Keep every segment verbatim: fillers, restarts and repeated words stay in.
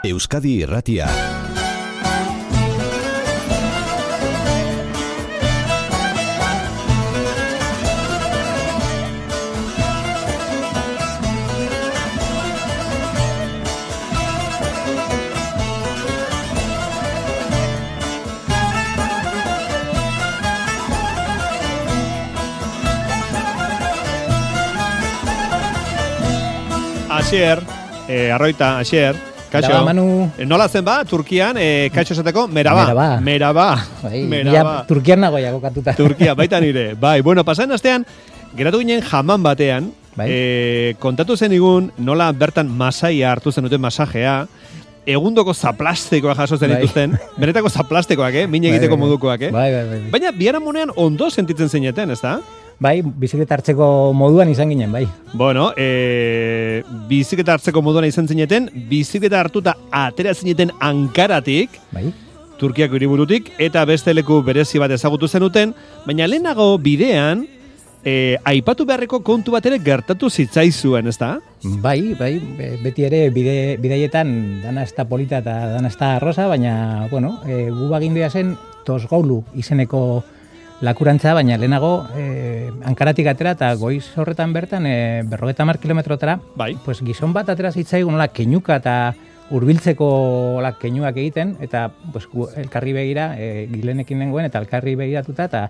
Euskadi Irratia. Asier, eh, arroita, Asier, kaixo. Meraba, Manu. Nola zen ba, Turkian, eh, kaixo esateko, meraba. Meraba. Meraba. Bai, Meraba. ja, Turkian nagoia kokatuta. Turkia, baita nire. Bai, bueno, pasaen astean, geratu ginen jaman batean, Bai. eh, kontatu zen igun, nola bertan masaia hartu zen duten masajea, egundoko zaplastikoak jaso zen Bai. dituzten, benetako zaplastikoak, eh? Min Bai, egiteko bai. modukoak, eh? Bai, bai, bai. Baina, biharamunean ondo sentitzen zineten, ez da? Bai, bizikleta hartzeko moduan izan ginen, bai. Bueno, e, bizikleta hartzeko moduan izan zineten, bizikleta hartuta atera zineten Ankaratik, Bai. Turkiako hiriburutik, eta beste leku berezi bat ezagutu zenuten, baina lehenago bidean, e, aipatu beharreko kontu bat ere gertatu zitzaizuen, ez da? Bai, bai, be- beti ere bide, bidaietan dana ez da polita eta dana ez da arrosa, baina, bueno, e, gu bagindua zen Tosgolu izeneko lakurantza, baina lehenago e, Ankaratik atera eta goiz horretan bertan e, berrogeta mar kilometrotara, Bai. pues gizon bat atera zitzaigun nola keinuka eta hurbiltzeko hola keinuak egiten, eta pues, gu elkarri begira, e, gilenekin nengoen, eta elkarri begiratuta, eta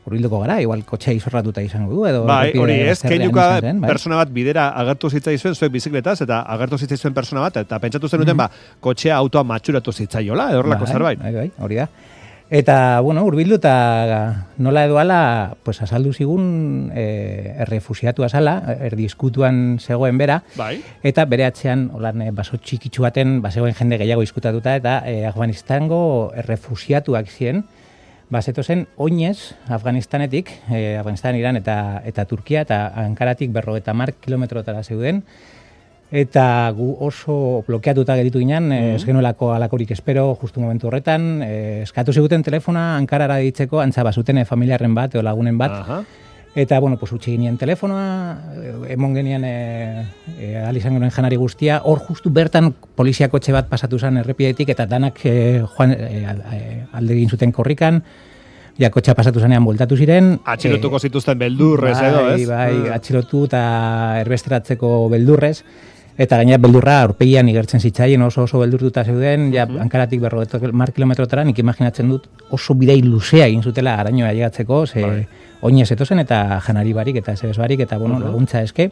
hurbilduko gara, igual kotxea izorratuta izango du, edo Bai, errepide hori ez, bazterrean keinuka izan zen, bai. persona bat bidera agertu zitzaizuen zuek bizikletaz, eta agertu zitzaizuen persona bat, eta pentsatu zenuten, Mhm. ba, kotxea autoa matxuratu zitzaiola, edo horrelako Bai, zerbait. Bai, bai, hori da. Eta, bueno, hurbildu eta nola edo ala, pues azaldu zigun e, errefusiatu azala, erdizkutuan zegoen bera, Bai. eta bere atzean, holan, e, baso txikitsu baten, bazegoen jende gehiago izkutatuta, eta e, Afganistango errefusiatuak ziren, bazeto zen oinez Afganistanetik, e, Afganistan, Iran eta, eta Turkia, eta Ankaratik berrogeta mar kilometrotara zeuden, eta gu oso blokeatuta geritu ginen, mm. ez genuelako alakorik espero, justu momentu horretan, eh, eskatu ziguten telefona Ankarara ditzeko, antza bazuten eh, familiarren bat, edo lagunen bat, Aha. eta, bueno, pues, utzi ginen telefonoa, eh, emon genian eh, eh, ahal izan genuen janari guztia, hor justu bertan poliziako etxe bat pasatu zen errepidetik, eta danak eh, joan, eh, eh, alde egin zuten korrikan, ja kotxa pasatu zanean bueltatu ziren. Atxilotuko zituzten beldurrez bai, edo, ez? Bai, Mm. atxilotu eta erbesteratzeko beldurrez. Eta gainera beldurra aurpegian igertzen zitzaien, oso oso beldurtuta zeuden, ja Mhm. Ankaratik berrogeta mar kilometrotara, nik imaginatzen dut oso bidei luzea egin zutela arañoa llegatzeko, ze Bai. oinez etozen eta janari barik eta zebez barik, eta bueno, Mhm. laguntza eske.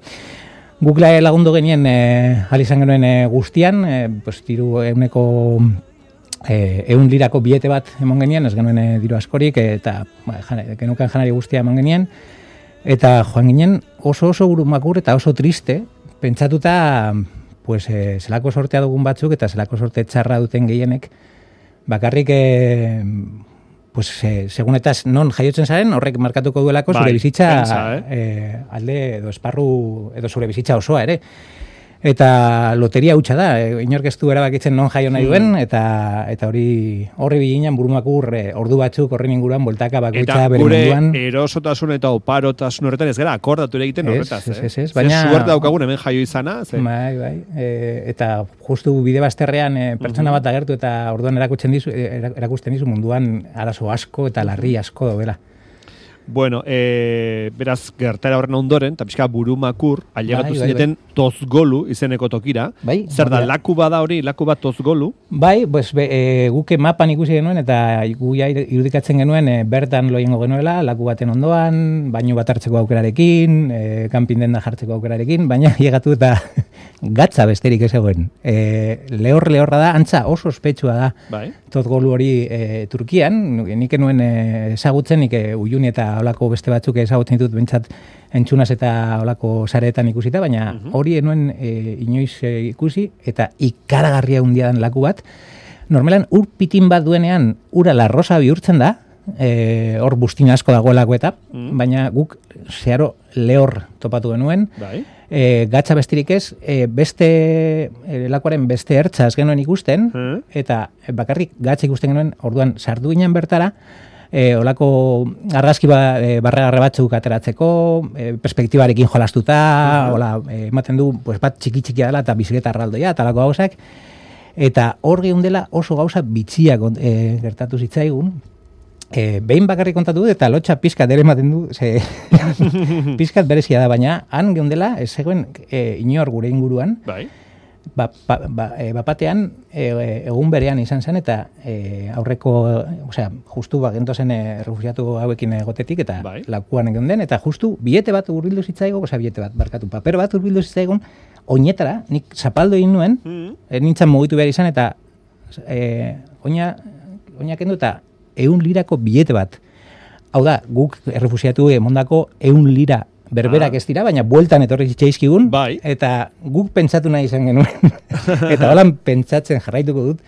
Guk la- lagundu genien, eh, ahal izan genuen eh, guztian, eh, pues, diru euneko eh, eun lirako bilete bat emon genien, ez genuen eh, diru askorik, eh, eta ba, jan, genukan janari guztia emon genien, eta joan ginen oso oso burumakur eta oso triste, pentsatuta, pues, eh, zelako sortea dugun batzuk eta zelako sorte txarra duten gehienek, bakarrik, eh, pues, eh, segunetaz non jaiotzen zaren, horrek markatuko duelako Bai, zure bizitza pentsa, eh? eh, alde edo esparru edo zure bizitza osoa ere. Eta loteria hutsa da, e, inork ez du erabakitzen non jaio nahi duen, eta eta hori horri biginan burumakur e, ordu batzuk horren inguruan boltaka bakoitza Eta bere gure munduan. erosotasun eta oparotasun horretan ez gara akordatu ere egiten Ez, horretaz, ez, eh? ez, ez, Ze baina- suerte daukagun hemen jaio izana, ze... Bai, bai. E, eta justu bide bazterrean e, pertsona bat agertu eta orduan erakusten dizu, e, erakusten dizu munduan arazo asko eta larri asko daudela. Bueno, e, beraz, gertara horren ondoren, eta pixka burumakur, ailegatu Bai, bai, zineten Tozgolu izeneko tokira. Bai, Zer da, hori da. laku bada hori, laku bat Tozgolu? Bai, pues, be, e, guke mapan ikusi genuen eta gu ja irudikatzen genuen e, bertan loiengo genuela, laku baten ondoan, baino bat hartzeko aukerarekin, e, kanpin denda jartzeko aukerarekin, baina llegatu eta gatza besterik ez egoen. E, lehor lehorra da, antza oso ospetsua da. Bai. Tozgolu hori e, Turkian, nik enuen e, ezagutzen, nik e, Uyuni eta olako beste batzuk ezagutzen ditut bentsat entzunaz eta olako sareetan ikusita, baina Mhm. hori enuen e, inoiz e, ikusi, eta ikaragarria hundia dan laku bat. Normalan ur pitin bat duenean ura larrosa bihurtzen da, e, hor bustin asko dagoelako eta, Mhm. baina guk zeharo lehor topatu genuen, Bai. e, gatza bestirik ez, e, beste, e, lakuaren beste ertza ez genuen ikusten, Mhm. eta bakarrik gatza ikusten genuen, orduan sartu ginen bertara, e, olako argazki ba, e, barregarre batzuk ateratzeko, e, perspektibarekin jolastuta, Uh-huh. hola, e, ematen du, pues, bat txiki-txikia dela eta bizikleta arraldoia, eta lako gauzak, Eta hor geundela oso gauza bitxiak e, gertatu zitzaigun, e, behin bakarrik kontatu dut, eta lotxa pizkat ere ematen du, ze, pizkat berezia da, baina han geundela, ez zegoen e, inor gure inguruan, bai. Ba, ba, ba, e, bapatean e, egun berean izan zen eta e, aurreko, osea, justu ba, gentozen e, refugiatu hauekin egotetik eta bai. lakuan geunden eta justu biete bat hurbildu zitzaigo, osea, biete bat, barkatu, paper bat hurbildu zitzaigun, oinetara, nik zapaldo egin nuen, mm -hmm. nintzen mugitu behar izan eta e, oina, oina kendu eta eun lirako biete bat. Hau da, guk errefugiatu emondako eun lira berberak ah. ez dira, baina bueltan etorri zitzaizkigun, bai. Eta guk pentsatu nahi izan genuen, eta holan pentsatzen jarraituko dut,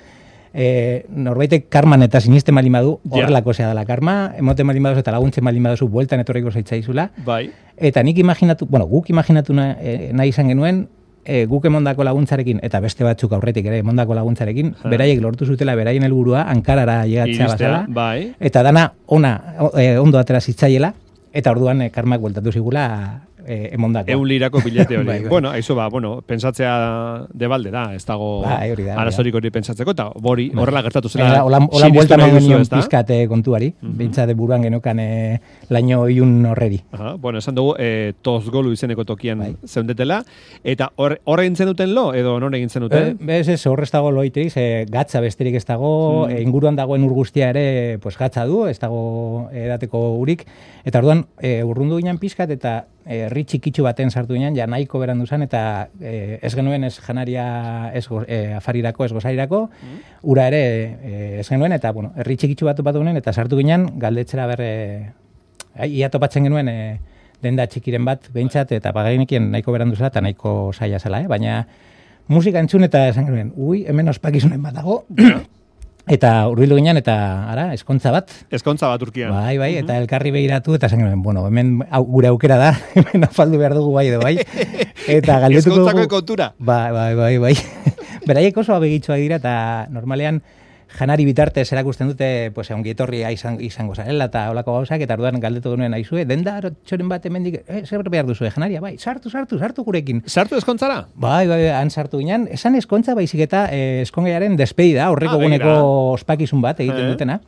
e, norbaitek karman eta sinisten malin badu, horrelako zea dela karma, emoten malin baduzu eta laguntzen malin baduzu bueltan etorriko zaitzaizula, bai. Eta nik imaginatu, bueno, guk imaginatu nahi, e, nahi izan genuen, e, guk emondako laguntzarekin, eta beste batzuk aurretik ere emondako laguntzarekin, ha. Beraiek lortu zutela, beraien helburua Ankarara llegatzea bazala, bai. Eta dana ona, e, ondo atera zitzaiela, eta orduan e, karmak bueltatu zigula e, emondako. Eun lirako bilete hori. bai, bai. Bueno, aizu ba, bueno, pentsatzea debalde da, ez dago bai, arazorik hori pentsatzeko, eta hori horrela gertatu zela. Bai, Holan buelta man genion pizkate kontuari, mm -hmm. bintzate buruan genokan e, laino iun horreri. Aha, bueno, esan dugu, e, tozgolu izeneko tokian bai. Zeundetela, eta horre hor egin duten lo, edo non egin zenuten? E, bez ez, horre ez dago loiterik, e, gatza besterik ez dago, mm. e, inguruan dagoen ur guztia ere pues, gatza du, ez dago edateko urik, eta orduan e, urrundu ginen pizkat, eta herri txikitsu baten sartu ginen, ja nahiko berandu zen, eta e, ez genuen ez janaria ez go, e, afarirako, ez gozarirako, mm. ura ere e, ez genuen, eta bueno, herri txikitsu bat topatu ginen, eta sartu ginen, galdetzera berre, ia topatzen genuen e, denda txikiren bat, behintzat, eta pagainekien nahiko berandu zela, eta nahiko saia zela, eh? Baina musika entzun eta esan genuen, ui, hemen ospakizunen bat dago, eta hurbildu ginen, eta ara, eskontza bat. Eskontza bat Turkian. Bai, bai, eta elkarri begiratu, eta esan genuen, bueno, hemen au, gure aukera da, hemen afaldu behar dugu bai edo bai. Eta galdetuko dugu. Eskontzako kontura. Bai, bai, bai, bai. Beraiek oso abegitxoak dira, eta normalean janari bitartez erakusten dute, pues, ongi etorria izan, izango zarela, eta holako gauzak, eta orduan galdetu genuen aizue, denda txoren bat hemendik, eh, zer behar duzu, janaria, bai, sartu, sartu, sartu gurekin. Sartu eskontzara? Bai, bai, han sartu ginen, esan eskontza baizik eta eh, eskongaiaren despedida, horreko ah, guneko ospakizun bat egiten eh. dutena,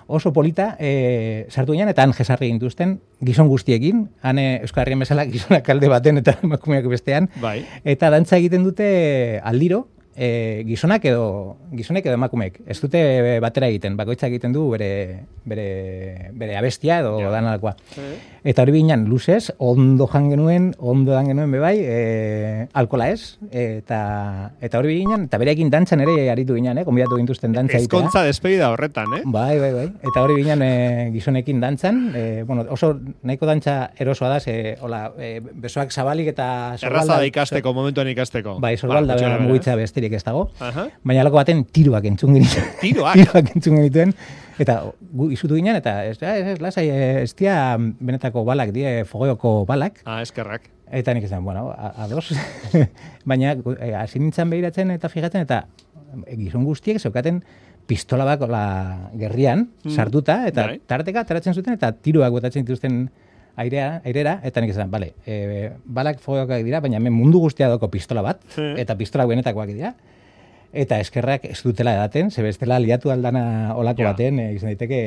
oso polita, eh, sartu ginen, eta han jesarri gintuzten, gizon guztiekin, han eh, Euskal Herrian bezala gizonak alde baten eta emakumeak bestean, bai. Eta dantza egiten dute aldiro, E, gizonak edo gizonek edo emakumeek. Ez dute batera egiten, bakoitza egiten du bere, bere, bere abestia edo ja. danalakoa. E. Eta hori binean, luzez, ondo jan genuen, ondo dan genuen bebai, e, alkola ez, eta, eta hori binean, eta bereekin dantzan ere aritu ginean, eh? Konbidatu gintuzten dantza egitea. Ezkontza despedida horretan, eh? Bai, bai, bai. Eta hori binean e, gizonekin dantzan, e, bueno, oso nahiko dantza erosoa da, ze, hola, e, besoak zabalik eta... Erraza da ikasteko, momentuan ikasteko. Bai, sorbalda ba, mugitza bestirik ez dago. Aha. Baina alako baten tiroak entzun genituen. Tiroak? Tiroak entzun genituen. Eta gu izutu ginen, eta ez, ez, ez lasai, ez dia benetako balak, die fogoioko balak. Ah, eskerrak. Eta nik esan, bueno, ados. Baina hasi e, nintzen behiratzen eta fijatzen, eta gizon guztiek zeukaten pistola bako la gerrian, hmm. sartuta, eta Dai. tarteka ateratzen zuten, eta tiroak botatzen dituzten airea, airera, eta nik esan, bale, e, balak fogoiokak dira, baina hemen mundu guztia doko pistola bat, hmm. eta pistola benetakoak dira. Eta eskerrak ez dutela edaten, ze bestela liatu aldana olako ja. baten, e, izan daiteke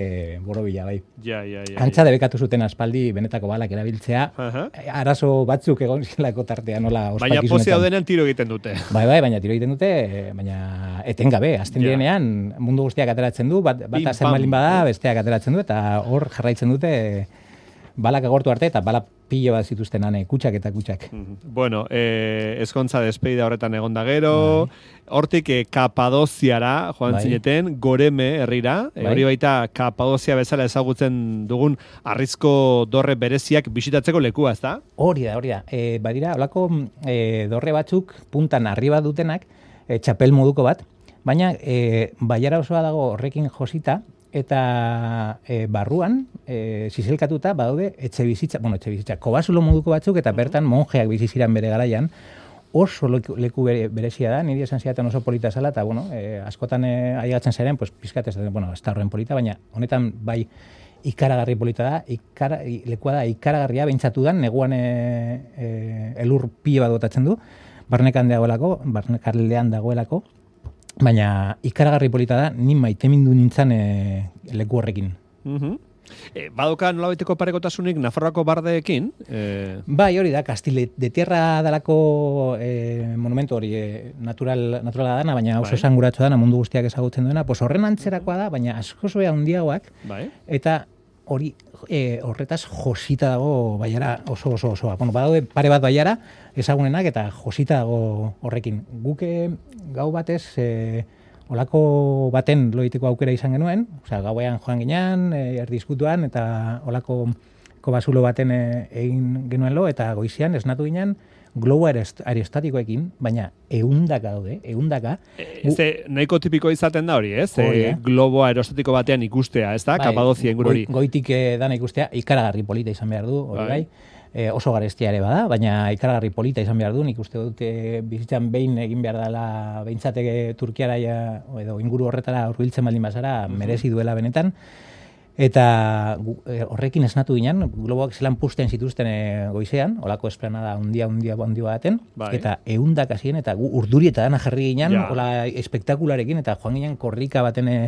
borobila, bai. Ja, ja, ja, Antza ja. debekatu zuten aspaldi benetako balak erabiltzea, uh-huh. arazo batzuk egon zelako tartean, nola ospakizunetan. Baina pozia daudenean tiro egiten dute. Bai, bai, baina tiro egiten dute, baina etengabe, azten ja. direnean mundu guztiak ateratzen du, bat, bat azen malin bada, besteak ateratzen du, eta hor jarraitzen dute balak agortu arte, eta balak pilo bat zituzten ane, kutsak eta kutsak. Bueno, eh, eskontza despedida horretan egon da gero, hortik eh, Kapadoziara joan bai. zineten, Goreme herrira, bai. hori baita Kapadozia bezala ezagutzen dugun arrizko dorre bereziak bisitatzeko lekua, ez da? Hori da, hori da. E, badira, holako e, dorre batzuk puntan arriba dutenak, e, txapel moduko bat, baina e, baiara osoa dago horrekin josita, eta e, barruan, e, zizelkatuta, badaude, etxe bizitza, bueno, etxe bizitza, kobasulo moduko batzuk, eta bertan monjeak biziziran bere garaian, oso leku, leku bere, berezia da, niri esan zidaten oso polita zela, eta, bueno, e, askotan e, aigatzen zaren, pues, pizkat ez da, bueno, ez da horren polita, baina honetan bai ikaragarri polita da, ikara, lekua da ikaragarria behintzatu dan, neguan e, e, elur pile bat botatzen du, barnekan dagoelako, barnekaldean dagoelako, baina ikaragarri polita da, ni maitemindu nintzen e, leku horrekin. Mhm. E, badoka nolabaiteko parekotasunik Nafarroako bardeekin? E... Bai, hori da, Castile de Tierra dalako e, monumentu hori e, natural, naturala dana, baina oso esanguratsu dana, mundu guztiak ezagutzen duena, pues horren antzerakoa da, baina asko zoe handiagoak, bai. Eta hori e, horretaz josita dago baiara oso oso osoa. Bueno, badaude pare bat baiara ezagunenak eta josita dago horrekin. Guke gau batez... E, olako baten loiteko aukera izan genuen, osea, gauean joan ginean, e, erdizkutuan, eta olako kobazulo baten e, egin genuen lo, eta goizian esnatu ginen globo aerostatikoekin, baina eundaka daude, eundaka. E, ze, nahiko tipiko izaten da hori, ez? E, globo aerostatiko batean ikustea, ez da? Bai, Kapadozia inguru hori. Goitik e, dana ikustea, ikaragarri polita izan behar du, hori bai. E, oso garestia ere bada, baina ikaragarri polita izan behar du, nik uste dut e, bizitzan behin egin behar dela behintzateke Turkiara ja, edo inguru horretara hurbiltzen baldin bazara, merezi duela benetan. Eta e, horrekin esnatu ginen, globoak zelan pusten zituzten e, goizean, olako esplanada hundia, hundia, hundia baten, bai. Eta eundak hasien eta gu urdurieta dana jarri ginen, ja. Ola espektakularekin, eta joan ginen korrika baten e,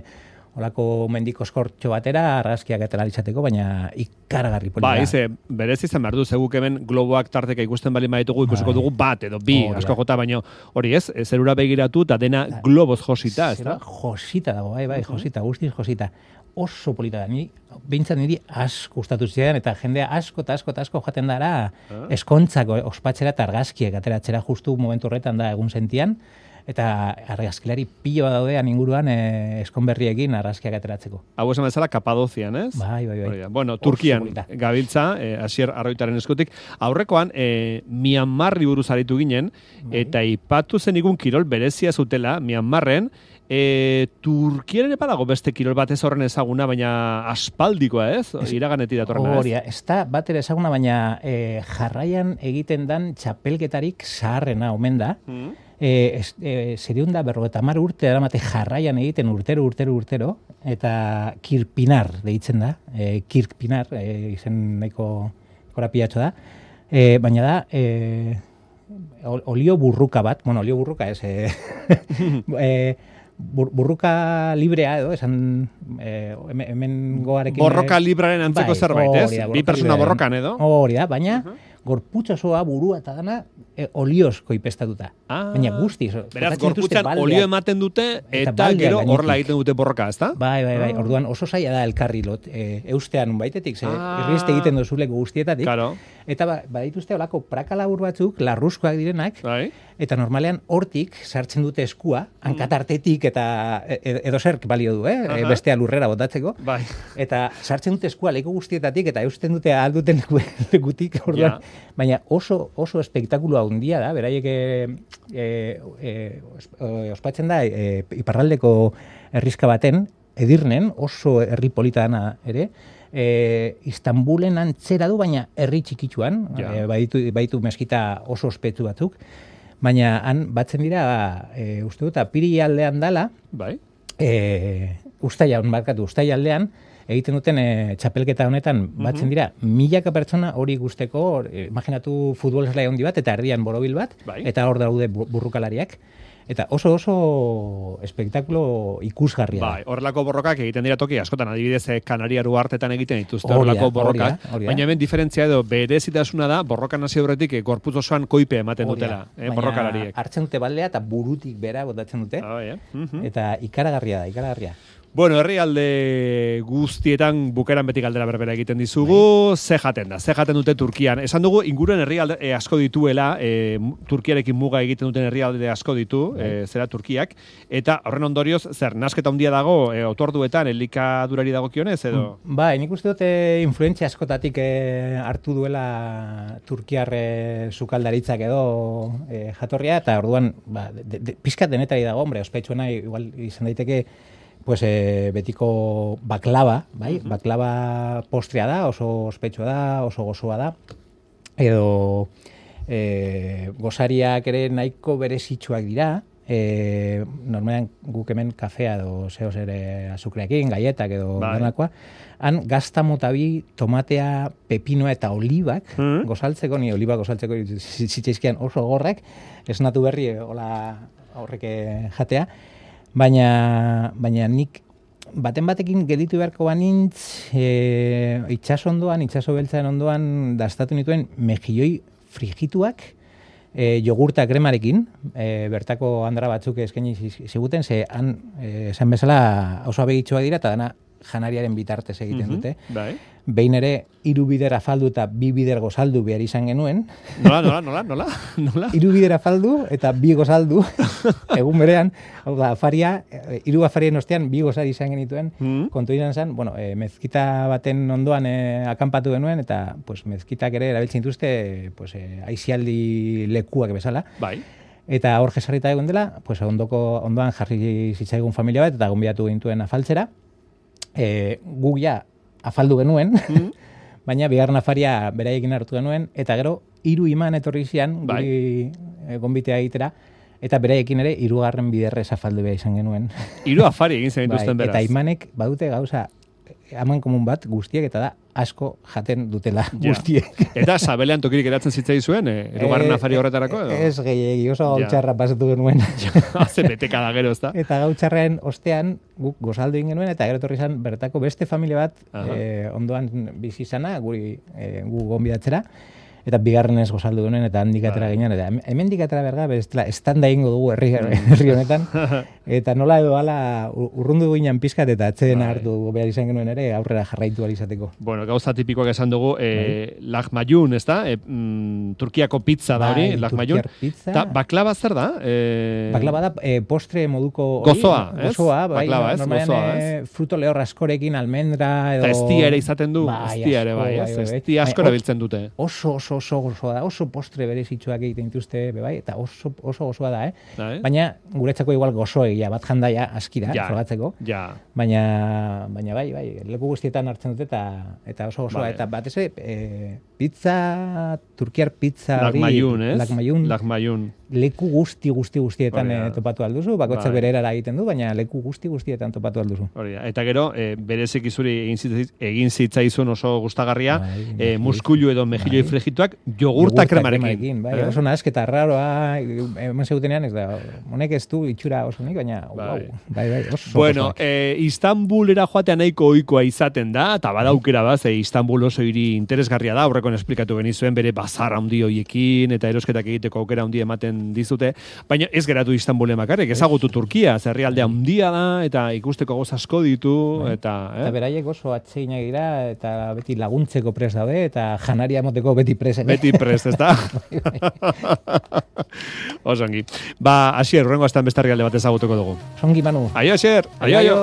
olako mendiko eskortxo batera, argazkiak eta izateko, baina ikaragarri polita. Ba, ize, berez izan behar du, zeguk hemen globoak tarteka ikusten bali maitugu, ikusiko dugu bat edo bi, oh, asko jota, baina hori ez, zerura begiratu, eta dena globoz josita, ez da? Josita dago, bai, bai, josita, guztiz josita. Oso polita da, ni, behintzat niri asko gustatu zidan, eta jendea asko eta asko eta asko jaten dara ah. eskontzako ospatzera eta argazkiek ateratzera justu momentu horretan da egun sentian, eta argazkilari pilo daudean inguruan e, eskonberriekin argazkiak ateratzeko. Hau esan bezala Kapadozian, ez? Bai, bai, bai. Bueno, Turkian gabiltza, e, Asier Arroitaren eskutik. Aurrekoan, e, Myanmarri buruz aritu ginen, bai. Eta ipatu zen igun kirol berezia zutela, Myanmarren, e, Turkiaren epadago beste kirol bat ez horren ezaguna, baina aspaldikoa, ez? Iraganeti datorrena, ez? Horia, ez da bat ere ezaguna, baina e, jarraian egiten dan txapelketarik zaharrena omen da, mm. E, e, zeriunda berrogeta mar urte eramate jarraian egiten urtero, urtero, urtero, eta kirpinar deitzen da, e, kirpinar, e, izen nahiko korapiatxo da, e, baina da, e, olio burruka bat, bueno, olio burruka ez, e, e, bur, burruka librea edo, esan e, hemen goarekin... Borroka libraren antzeko bai, zerbait, ez? Oria, bi persona borrokan edo? Hori da, baina... Uh -huh. Gorputzosoa, burua eta dana e, oliozko ipestatuta. Ah, baina guztiz. Beraz, gorputzan olio ematen dute eta, eta gero horrela egiten dute borroka, ezta? Bai, bai, bai. Ah. Orduan oso zaila da elkarri lot. E, eustean baitetik, ze ah. irriste egiten duzuleko guztietatik. Claro. Eta ba, badituzte olako praka labur batzuk, larruzkoak direnak, bai. Eta normalean hortik sartzen dute eskua, hankatartetik eta edo zerk balio du, eh? E, bestea lurrera botatzeko. Bai. Eta sartzen dute eskua leku guztietatik eta eusten dute alduten lekutik, orduan. Ja. Baina oso oso espektakulo handia da, beraiek e, e, e, ospatzen da e, iparraldeko herrizka baten, Edirnen, oso herri polita dana ere, e, Istanbulen antzera du, baina herri txikitsuan, ja. e, baitu, baitu meskita oso ospetsu batzuk, baina han batzen dira, e, uste dut, apiri aldean dala, bai. e, ustailan, barkatu, ustaila aldean, egiten duten e, txapelketa honetan batzen dira, mm-hmm. milaka pertsona hori guzteko, e, imaginatu futbol zelai handi bat, eta herrian borobil bat, bai. Eta hor daude burrukalariak, eta oso oso espektakulo ikusgarria. Bai, horrelako borrokak egiten dira toki askotan, adibidez Kanariaru hartetan egiten dituzte horrelako borrokak, oria, oria. Baina hemen diferentzia edo berezitasuna da, borrokan hasi horretik gorputz osoan koipe ematen oria. Dutela, eh, borrokalariek. Hartzen dute baldea eta burutik bera botatzen dute, ah, bai, eh? mm-hmm. Eta ikaragarria da, ikaragarria. Bueno, herrialde guztietan bukeran beti galdera berbera egiten dizugu, ze jaten da, ze jaten dute Turkian. Esan dugu, inguruen herrialde e, asko dituela, e, Turkiarekin muga egiten duten herrialde asko ditu, e, zera Turkiak, eta horren ondorioz, zer, nasketa handia dago, e, otorduetan, elikadurari dagokionez, edo? Ba, nik uste dute influentzia askotatik e, hartu duela Turkiar sukaldaritzak edo e, jatorria, eta orduan, ba, de, de, pizkat denetari dago, hombre, ospetsuena igual izan daiteke, pues e, betiko baklava, bai? Uh-huh. Baklava postrea da, oso ospetsua da, oso gozoa da. Edo e, gozariak ere nahiko berezitsuak dira. E, normalean guk hemen kafea edo zeo ere azukreakin, gaietak edo donakoa. Han gazta motabi, tomatea, pepinoa eta olibak uh-huh. gozaltzeko, ni olibak gozaltzeko zitzaizkian oso gorrak, esnatu berri hola horrek jatea. Baina, baina nik baten batekin gelditu beharko banintz, e, itxaso ondoan, itxaso beltzaren ondoan dastatu nituen mejilloi frigituak, e, jogurta kremarekin, e, bertako andra batzuk eskaini ziguten, ze han, e, esan bezala oso abegitxoak dira, eta dana janariaren bitartez egiten Mhm, dute. bai. Behin ere, hiru bider afaldu eta bi bider gozaldu behar izan genuen. Nola, nola, nola, nola, nola? Hiru bider afaldu eta bi gozaldu, egun berean, hau da, afaria, e, hiru afarien ostean bi gozari izan genituen, Mm. kontu izan zen, bueno, e, mezkita baten ondoan e, akanpatu genuen, eta pues, mezkitak ere erabiltzen dituzte pues, e, aizialdi lekuak bezala. Bai. Eta hor jesarrita egon dela, pues, ondoko, ondoan jarri zitzaigun familia bat, eta gonbidatu gintuen afaltzera. E, guk ja afaldu genuen, Mm. baina bigarren afaria beraiekin hartu genuen, eta gero hiru iman etorri zian, Bai. guri e, gonbitea egitera, eta beraiekin ere hirugarren biderrez afaldu behar izan genuen. Hiru afari egin zen dituzten Bai, beraz. eta imanek badute gauza aman komun bat guztiek, eta da asko jaten dutela Ja. guztiek. Eta sabelean tokirik eratzen zitzaizuen, eh, erugarren Eh, afari horretarako, edo? Ez gehiegi, oso Ja. gautxarra pasatu genuen. Haze beteka da gero, ezta? Eta gautxarren ostean guk gozaldu egin genuen, eta gero etorri izan bertako beste familia bat Aha. eh, ondoan bizi izana, guri eh, gu gonbidatzera, eta bigarren ez gozaldu genuen, eta handik atera Bai. ginen, eta hemen dikatera berga, bestela, estanda egingo dugu herri, herri honetan, eta nola edo ala urrundu ginen pizkat, eta atzeden Bai. hartu behar izan genuen ere, aurrera jarraitu ahal izateko. Bueno, gauza tipikoak esan dugu, eh, lahmacun, ez da? Eh, mm, Turkiako pizza da hori, Bai, lahmacun. turkiar pizza. Ta baklava zer da? Eh, Baklava da eh, postre moduko hori, Gozoa, ez? Gozoa, bai. Baklava, ez? Normalean, Gozoa, eh, fruto lehor askorekin, almendra, edo... Eta estia ere izaten du, Bai, estia ere asko, bai, ez? bai, bai. Estia asko Bai, erabiltzen dute. Oso, oso, oso gozoa da, oso postre berezitsuak egiten dituzte, be bai, eta oso, oso gozoa da, eh? Bai. Baina guretzako igual gozoegia bat janda ja askira, Ja. frogatzeko. Ja. Baina, baina bai, bai, leku guztietan hartzen dute eta eta oso gozoa. Bai. Eta batez ere, e, pizza, turkiar pizza hori, Lahmacun, ez? lahmacun, Lahmacun. leku guzti guzti guztietan Hori da. eh, topatu alduzu, bakoitzak Bai. bere erara egiten du, baina leku guzti guztietan topatu alduzu. Hori da. Eta gero, e, bereziki zuri egin, zitz, egin zitzaizun oso gustagarria, Bai, e, mejilloi. muskulu edo mejilloi Bai. frigituak jogurta kremarekin. Bai, Eh? oso nahasketa raroa, hemen zeutenean, ez da, honek ez du itxura oso nik, baina, Bai. wow, bai, bai, oso Bueno, gozoak. e, Istanbulera joatea nahiko ohikoa izaten da, eta badaukera bat, ze Istanbul oso hiri interesgarria da, aurrekoan esplikatu genizuen bere bazar handi hoiekin, eta erosketak egiteko aukera handi ematen dizute, baina ez geratu Istanbulen bakarrik, ezagutu Turkia, ze herrialde handia da, eta ikusteko goz asko ditu, Bai. eta... Eta Eh? beraiek oso atseginak dira, eta beti laguntzeko prest daude, eta janaria emoteko beti prest. Beti prest, ez da? Osongi. Ba, Asier, urrengo astan beste herrialde bat ezagutuko dugu. Songi, Manu. Aio, Asier! Aio, aio!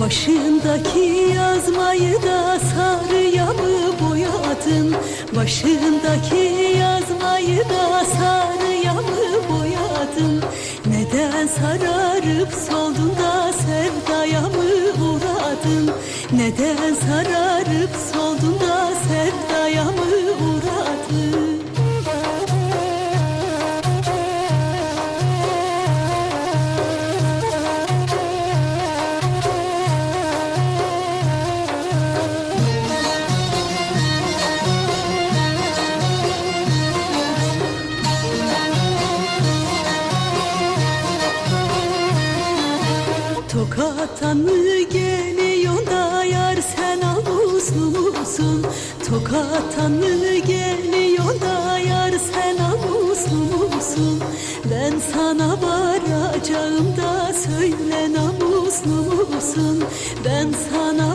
Başındaki yazmayı da sarıya mı boyadın? Başındaki yazmayı da sarıya mı boyadın? Neden sararıp soldun da sevdaya mı uğradın? Neden sararıp soldun da sevdaya mı uğradın? Tokat'tan mı geliyorsun da yar sen namuslu musun? Tokat'tan mı geliyorsun da yar sen namuslu musun? Ben sana varacağım da söyle namuslu musun? Ben sana